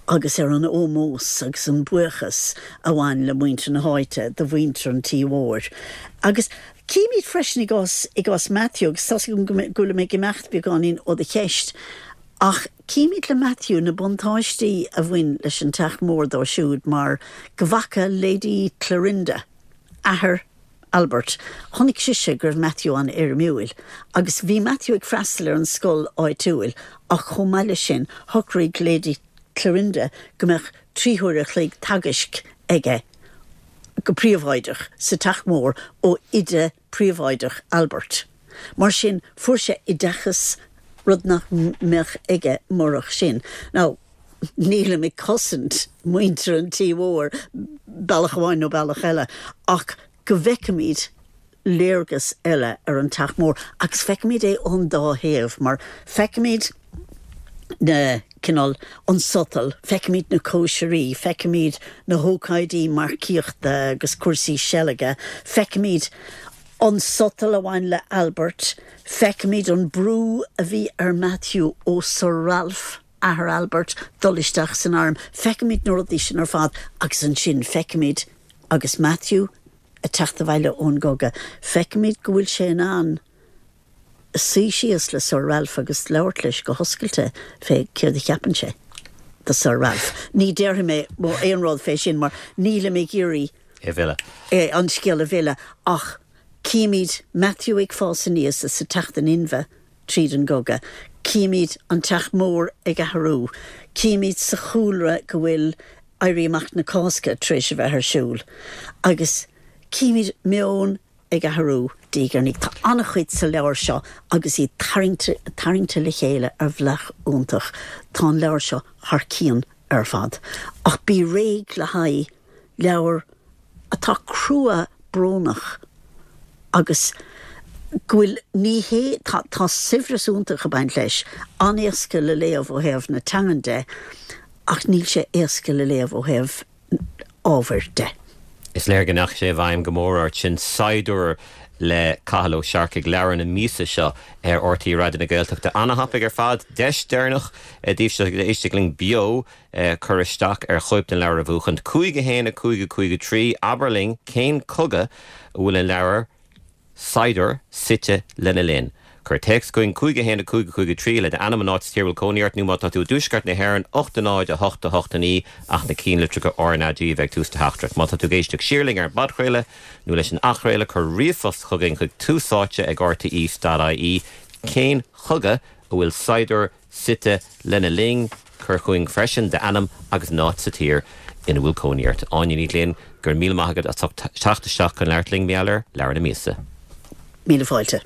agus ar an ómós agus an buíochas a bhain le muintir na háite do mhuintir an tí mhóir. Agus címid freisin i gcás, i gcás Matthew, agus tá's agam go bhfuilim ag imeacht beagáinín ó do cheist, ach címid le Matthew na buntáistí a bhain leis an Teach Mór dó siúd mar go bhfaca Lady Clarinda, athair Albert. Chonaic sise go raibh Matthew an-éirimiúil, agus bhí Matthew ag freastal ar an scoil áitiúil, ach chomh maith leis sin, shocraigh Lady Clarinda go mbeadh 3 huaire a chloig teagaisc aige go príobháideach sa Teach Mór ó oide príobháideach Albert. Mar sin, fuair sé oideachas, rud nach mbeadh aige murach sin. Now, nílim ag cosaint muintir an tí mhóir, bealach amháin nó bealach eile, ach go bhfeicfimid léargas eile ar an Teach Mór agus feicfimid é ón dá thaobh mar feicfimid na, cineál, an sotal, feicfimid na cóisirí, feicfimid na hócáidí marcaíochta agus cúrsaí seilge, feicfimid an sotal a bhain le Albert, feicfimid an brú a bhí ar Matthew ó Sir Ralph. athair Albert, dul isteach san arm. Feicimid na rudaí sin ar fad agus ansin feicimid agus Matthew ag teacht abhaile ón gcogadh, feicimid go bhfuil sé in ann suí síos le Sir Ralph agus labhairt leis go hoscailte fé céard a cheapann sé de Sir Ralph. Ní déarfaidh mé aon rud fé sin mar nílim ag iarraidh É a mhilleadh. an scéal a mhilleadh ach címid Matthew ag fás aníos is ag teacht in inmhe tríd an gcogadh. Címid an Teach Mór ag athrú. Címid sa chúlra go bhfuil Éirí Amach na Cásca tar éis a bheith ar siúl. Agus címid meon ag athrú diaidh ar ndiaidh. Tá an-chuid sa leabhar seo agus iad tarraingte, tarraingte le chéile ar bhealach iontach. Tá an leabhar seo thar cionn ar fad. Ach bí réidh le haghaidh leabhar atá crua brónach agus go bhfuil, ní hé, tá, tá saibhreas iontach ag baint leis, an-éasca le léamh ó thaobh na teangan de ach níl sé éasca le léamh ó thaobh ábhair de. Is léir go ndeachaigh sé i bhfeidhm go mór ort sin Saighdiúir le Cathal Ó Searcaigh, leabhar na míosa seo ar RTÉ Raidió na Gaeltachta. Ana-thapaidh ar fad. Deis deireanach daoibhse a éistfidh linn beo cur isteach ar chóip den leabhar a bhuachaint. 5 1 5 5 3 Abair linn cén cogadh a bhfuil an leabhar Saighdiúir suite lena linn. Cuir téacs chugainn 5 1 5 5 3 le d'ainm, an áit sa tír a bhfuil cónaí ort nó má tá tú i dtuaisceart na hÉireann 8 0 8 8 9 ach na cinnlitreacha RnaG a bheith ag tús do theachtaireacht. Má tá tú ag éisteacht siar linn ar an bpodchraoladh nó leis an athchraoladh cuir ríomhphost chugainn chuig túsáite ag rte.ie Cén chogadh a bhfuil Saighdiúir suite lena linn. Cuir chugainn freisin d'ainm agus an áit sa tír ina bhfuil cónaí ort. Áine Ní Ghlinn, go raibh míle maith agat as ucht teacht isteach chun labhairt linn mar gheall ar Leabhar na Míosa. Míle fáilte.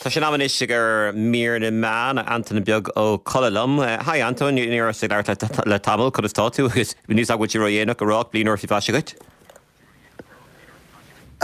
Tá sé in am anois ag mír na meán, Antain Beag Ó Colla liom. Hi Antain, ní rabhas ag labhairt leat le tamall, conas tá tú? Agus níl 's agam an bhfuil sé ródhéanach a rá ach bliain úr faoi mhaise dhuit.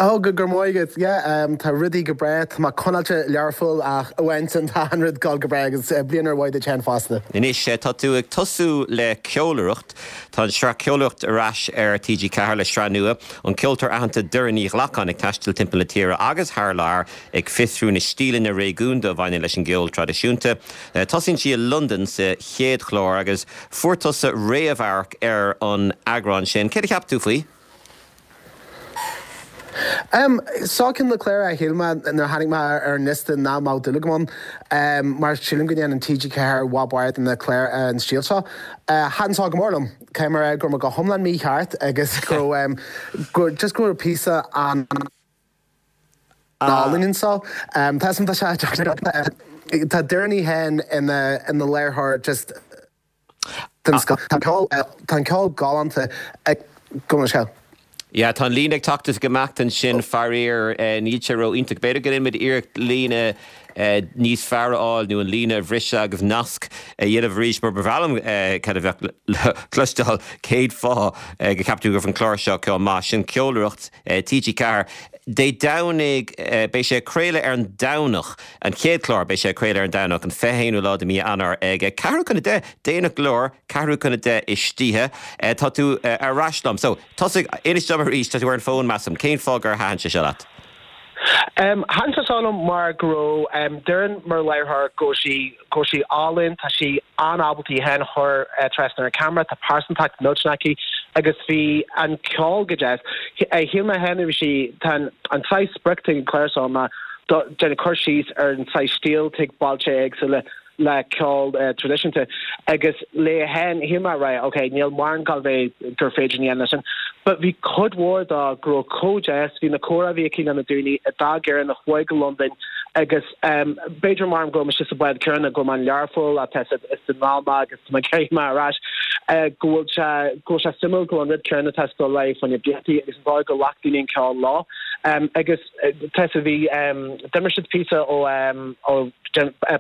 Oh, go raibh maith agat. Yeah, tá rudaí go breá. Tá mé coinneáilte Learpholl ach amháin sin tá an rud ag dul go breá agus bliain úr mhaith duit féin fosta. Anois, tá tú ag tosú le Ceolaireacht. Tá an tsraith Ceolaireacht ar ais ar TG4 le sraith nua, an ceoltóir aitheanta Doireann Ní Ghlacáin ag taisteal timpeall na tíre agus thar lear ag fiosrú na stíleanna réigiúnda a bhaineann leis an gceol traidisiúnta. Tosaíonn sí i Londain sa chéad chlár agus fuair tusa réamhamharc ar an eagrán sin. Céard a cheap tú faoi? Seo ceann de na cláir a shíl mé nuair a tháinig mé ar an liosta nach mbeadh dúil agam ann, mar sílim go ndéanann TG4 i bhfad barr de na cláir an stíl seo. Thaitin seo go mór liom, caithfidh mé a rá go raibh mé go hiomlán mícheart agus go raibh, just go raibh píosa an. álainn anseo. Tá tá sé tá Doireann í féin ina ina léiritheoir just den scoth. Tá an ceol tá an ceol galánta ag go mbeadh sé. Yeah, tá an líne ag teacht is ag imeacht ansin, faraor. Níl sé ró-iontach. B'fhéidir go ndéanfaimid iarracht líne níos fearr a fháil nó an líne a bhriseadh agus nasc a dhéanamh arís mar ba bhreá liom cad a bheadh le cloisteáil cén fáth go gceapann tú go raibh an clár seo chomh maith. Sin Ceolaireacht TG4. Dé Domhnaigh, beidh sé ag craoladh ar an Domhnach, an chéad chlár, beidh sé ag craoladh ar an Domhnach, an 21ú lá de mhí Eanáir ag ceathrú chun 10, déanach go leor, ceathrú chun 10 istoíche. Tá tú ar ais liom. So, tosaigh, inis dom arís, tá tú ar an bhfón, measaim, cén fáth gur thaitin sé seo leat? Thaitin sé seo liom mar go raibh Doireann mar láithreoir, go raibh sí, go raibh sí álainn, tá sí an-ábalta í féin a chur trasna ar an camera, tá pearsantacht millteanach aici agus bhí an ceol go deas. Shíl mé féin bhí sí, tá an saghas sprioc atá ag an chlár seo ná déanamh cur síos ar an saghas stíl atá ag bailte éagsúla le ceol traidisiúnta agus léi féin shíl mé right ok níl mórán ag gabháil bheith gur féidir a dhéanamh leis sin but bhí cuid mhór dó go raibh chomh deas bhí na comhrá a bhí aici le na daoine a d'fhág Éirinn a chuaigh go Londain agus b'fhéidir mar go raibh mise sa bhád céanna go raibh mé in Learpholl ach tá is den lá mé agus tá mé ag iarraidh mé ar ais go bhfuil sé go bhfuil sé suimiúil go bhfuil an rud céanna tá ag dul ar aghaidh fá na blianta agus an dóigh go ghlac daoine an ceol leo agus Tá a bhí d'imir siad píosa ó ó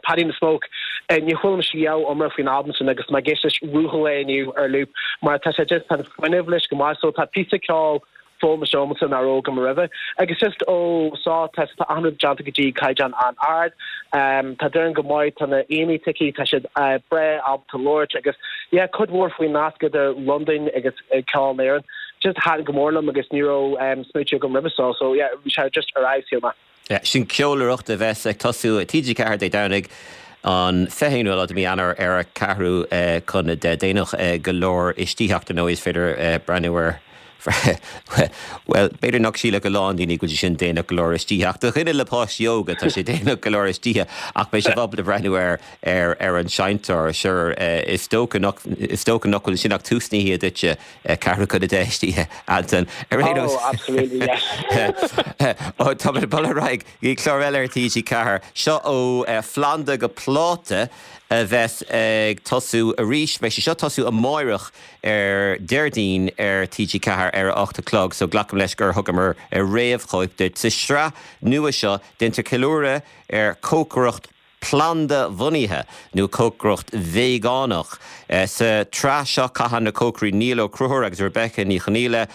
Paddy and the Smoke. Ní chuala mise riamh iomrá faoin albam sin agus mé ag éisteacht leis ruathall é inniu ar loop mar tá sé just tá an fuinneamh leis go maith so tá píosa ceoil foghlamtha agamsa nach raibh agam roimhe. Agus just ó so tá tá achan rud déanta go dtí caighdeán an-ard. Tá Doireann go maith, tá na aíonna aici, tá siad breá ábalta labhairt agus yeah cuid mhór faoin nasc idir Londain agus ceol na hÉireann. Just thaitin go mór liom agus ní raibh smaoitiú agam roimhe so, so yeah bhí sé just ar fheabhas, shíl mé. Yeah, sin Ceolaireacht a bheas ag tosú ar TG4 Dé Domhnaigh an 21ú lá de mhí Eanáir ar a ceathrú chun 10. Déanach go leor istoíche ach ar ndóigh is féidir breathnú ar bhuel, b'fhéidir nach sílfeadh a lán daoine go bhfuil sé sin déanach go leor istoíche ach do dhuine le páistí óga tá sé déanach go leor istoíche ach beidh sibh ábalta breathnú ar ar ar an seinnteoir. Sure, is dócha nach is dócha nach bhfuil sin ach tús na hoíche duitse. Ceathrú chun 10 istoíche, Anton. Ar aon nós. Oh, absolutely, yeah. Tá muid ag dul ar aghaidh go dtí clár eile ar TG4. Seo ó phlanda go pláta a bheas ag tosú arís. Beidh sé seo ag tosú amáireach ar Déardaoin ar TG4 ar a 8 a chlog, so glacaim leis gur thugamar réamhchóip duit. Sa sraith nua seo, déantar ceiliúradh ar chócaireacht phlanda-bhunaithe nó cócaireacht veigeánach. Sa tsraith seo caitheann na cócairí Niall Ó Conchúir agus Rebecca Ní Chonaola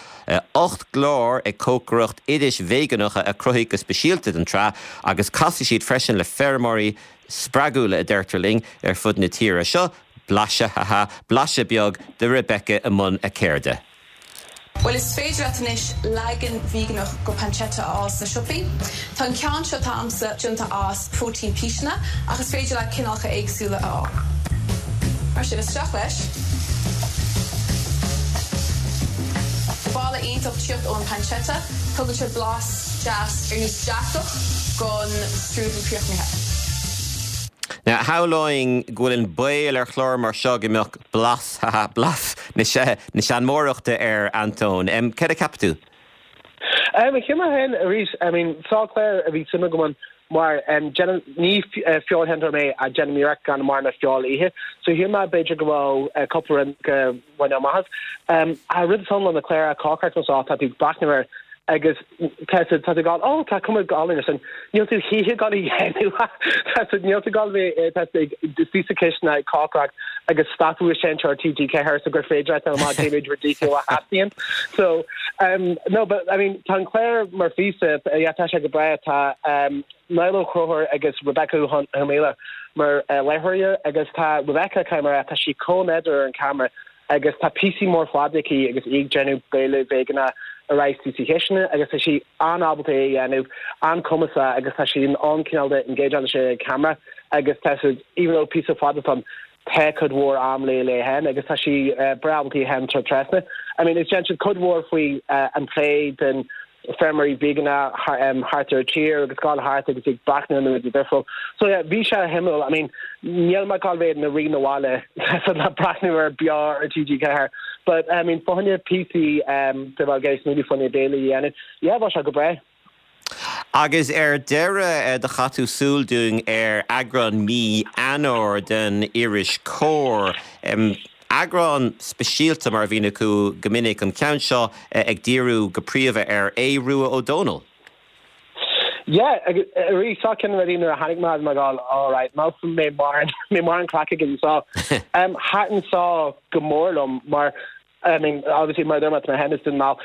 8 gclár ag cócaireacht oidis veigeánacha a cruthaíodh go speisialta don tsraith agus casfaidh siad freisin le feirmeoirí spreagúla, a deirtear linn, ar fud na tíre. Seo blaiseadh, ha ha, blaiseadh beag de Rebecca i mbun a ceirde. Bhuel, is féidir leat anois leagan veigeánach go pancetta a fháil sna siopaí. Tá an ceann seo atá a'msa déanta as próitéin píseanna ach is féidir leat cineálacha éagsúla a fháil. Mar sin, isteach leis. Tá boladh iontach tíocht ón pancetta, tugann sé blas deas ar nós deatach gon strúdal críochnaithe. Now, shamhlóinn go bhfuil an baol ar chlár mar seo go mbeadh blas, ha ha, blas na seanmóireachta air, Antóin. Céard a cheap tú? Shíl mé féin arís, I mean, seo clár a bhí suim agam ann mar déanaim, ní feoilséantóir mé ach déanaim iarracht gan mórán feoil a ithe. So shíl mé b'fhéidir go raibh cúpla rud go mbainfeadh amach as. An rud is ann le na cláir cócaireachta seo, tá tú ag breathnú ar. Agus tá tú ag gabháil, oh tá cuma álainn air sin. Níl tú choíche ag gabháil a dhéanamh. Tá tú, níl tú ag gabháil a bheith, tá tú ag suí sa chistin ag cócaireacht agus stopadh an seinnteoir TG4 so gur féidir leat dul amach déanamh rudaí a theastaíonn. So, um, no, but I mean, tá an clár mar phíosa, yeah, tá sé go breá, tá um, Niall Ó Conchúir agus Rebecca Uí Chonghaile mar uh, láithreoirí agus tá Rebecca caithfidh mé a rá, tá sí chomh nádúrtha ar an camera agus tá píosaí mór fada aici agus í ag déanamh béile veigeánach ar ais sa chistin agus tá sí an-ábalta é a dhéanamh, an-chumasach agus tá sí in ann cineál de engage leis an camera agus tá siad, even though píosa fada atá ann, tá cuid mhór am léi léi féin agus tá sí breá ábalta í féin a chur trasna. I mean, is déanann siad cuid mhór faoi an plé den feirmeoirí veigeánacha thart ar an tír agus gabháil thart agus ag breathnú ar na rudaí difriúil. So yeah, bhí sé shuimiúil. I mean, níl mé ag gabháil bheith ina rí na bhaile le breathnú air beo ar TG4. But I mean, fá choinne píosaí de bheith ag smaoineamh fá choinne béile a dhéanamh, yeah, bheadh sé go breá. Agus ar deireadh, do chaith tú súil dúinn ar eagrán mí Eanáir den iris Comhar. Eagrán speisialta mar a bhíonn acu go minic, an ceann seo ag díriú go príomha ar Aodh Rua Ó Dónaill. Yeah, agus arís, seo ceann de na rudaí nuair a tháinig mé, bhí mé ag gabháil, all right, mbeidh mé mórán, mé mórán craic againn seo. Thaitin seo go mór liom mar, I mean, obviously mar a dúirt mé, tá mé féin as Dún na nGall,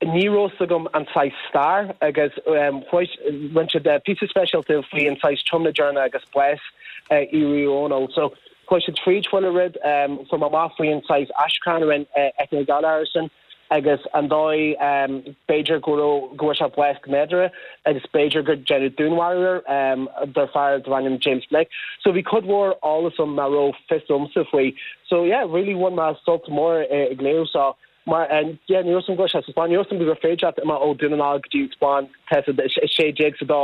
ní raibh fhios agam an saghas stair agus rinne siad píosa speisialta faoi an saghas tiomna deireanach agus bás Aodh Rua Ó Dónaill. So, Chuaigh siad fríd chuile rud, fuair mé amach faoi an saghas aistriúchán a rinne Eithne Ní Ghallchóir air sin agus an dóigh b'fhéidir go raibh, go bhfuair sé bás go nádúrtha agus b'fhéidir gur deineadh dúnmharú air de fear darbh ainm James Blake. So bhí cuid mhór eolas ann nach raibh fios agamsa faoi. So yeah, really bhain mé sult mór ag léamh seo. Mar, yeah, ní raibh fhios agam go raibh sé sa Spáinn. Ní raibh fhios agam gur féidir leat imeacht ó Dún na nGall go dtí an Spáinn, tá 16 sa dó,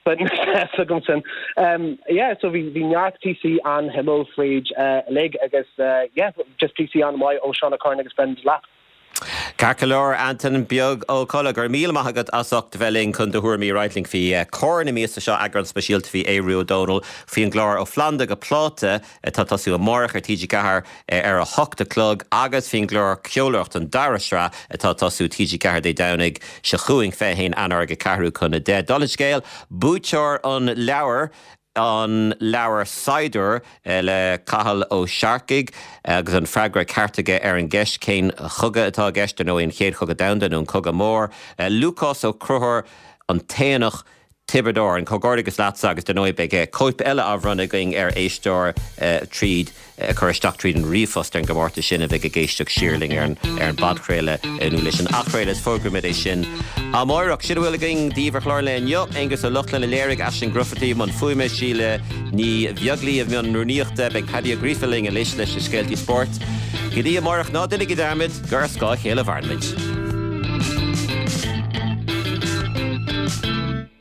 but níl fhios agam sin. Yeah, so bhí bhí neart píosaí an-shuimiúil fríd uilig agus yeah, just píosaí an-mhaith ó Seán Ó Curráin agus Brendan Delap. Ceart go leor, Antain Beag Ó Colla, go raibh míle maith agat as ucht a bheith linn chun do thuairimí a roinnt linn faoi Comhar na míosa seo, eagrán speisialta faoi Aodh Rua Ó Dónaill, faoin gclár Ó Phlanda go Pláta atá ag tosú amárach ar TG4. ar a hocht a chlog agus faoin gclár Ceolaireacht, an dara sraith atá ag tosú TG4 Dé Domhnaigh seo chugainn, 21 Eanáir ag ceathrú chun a 10. Dála an scéil, buaiteoir an leabhair, an leabhar Saighdiúir le Cathal Ó Searcaigh agus an freagra ceart aige ar an gceist cén chogadh atá i gceist, ar ndóigh an Chéad Chogadh Domhanda nó an Cogadh Mór, Lúcás Ó Conchúir, An tAonach. Tiobraid Árann. Comhghairdeachas leatsa agus dar ndóigh beidh cóip eile á bhronnadh againn ar éisteoir tríd cur isteach tríd an ríomhphost ar an gcomórtas sin a bheidh ag éisteacht siar linn ar an ar an bpodchraoladh nó leis an athchraoladh is fógróimid é sin amárach. Sin a bhfuil againn daoibh ar chlár an lae inniu. Aonghus Ó Lochlainn a léirigh, Aisling Grufferty i mbun fuaime, Síle Ní Bheaglaoí i mbun rúnaíochta. Beidh Paddy Ó Gríofa linn anois leis na scéaltaí spóirt. Go dtí amárach ná déanaigí dearmad gur ar scáth a chéile a mhaireann muid.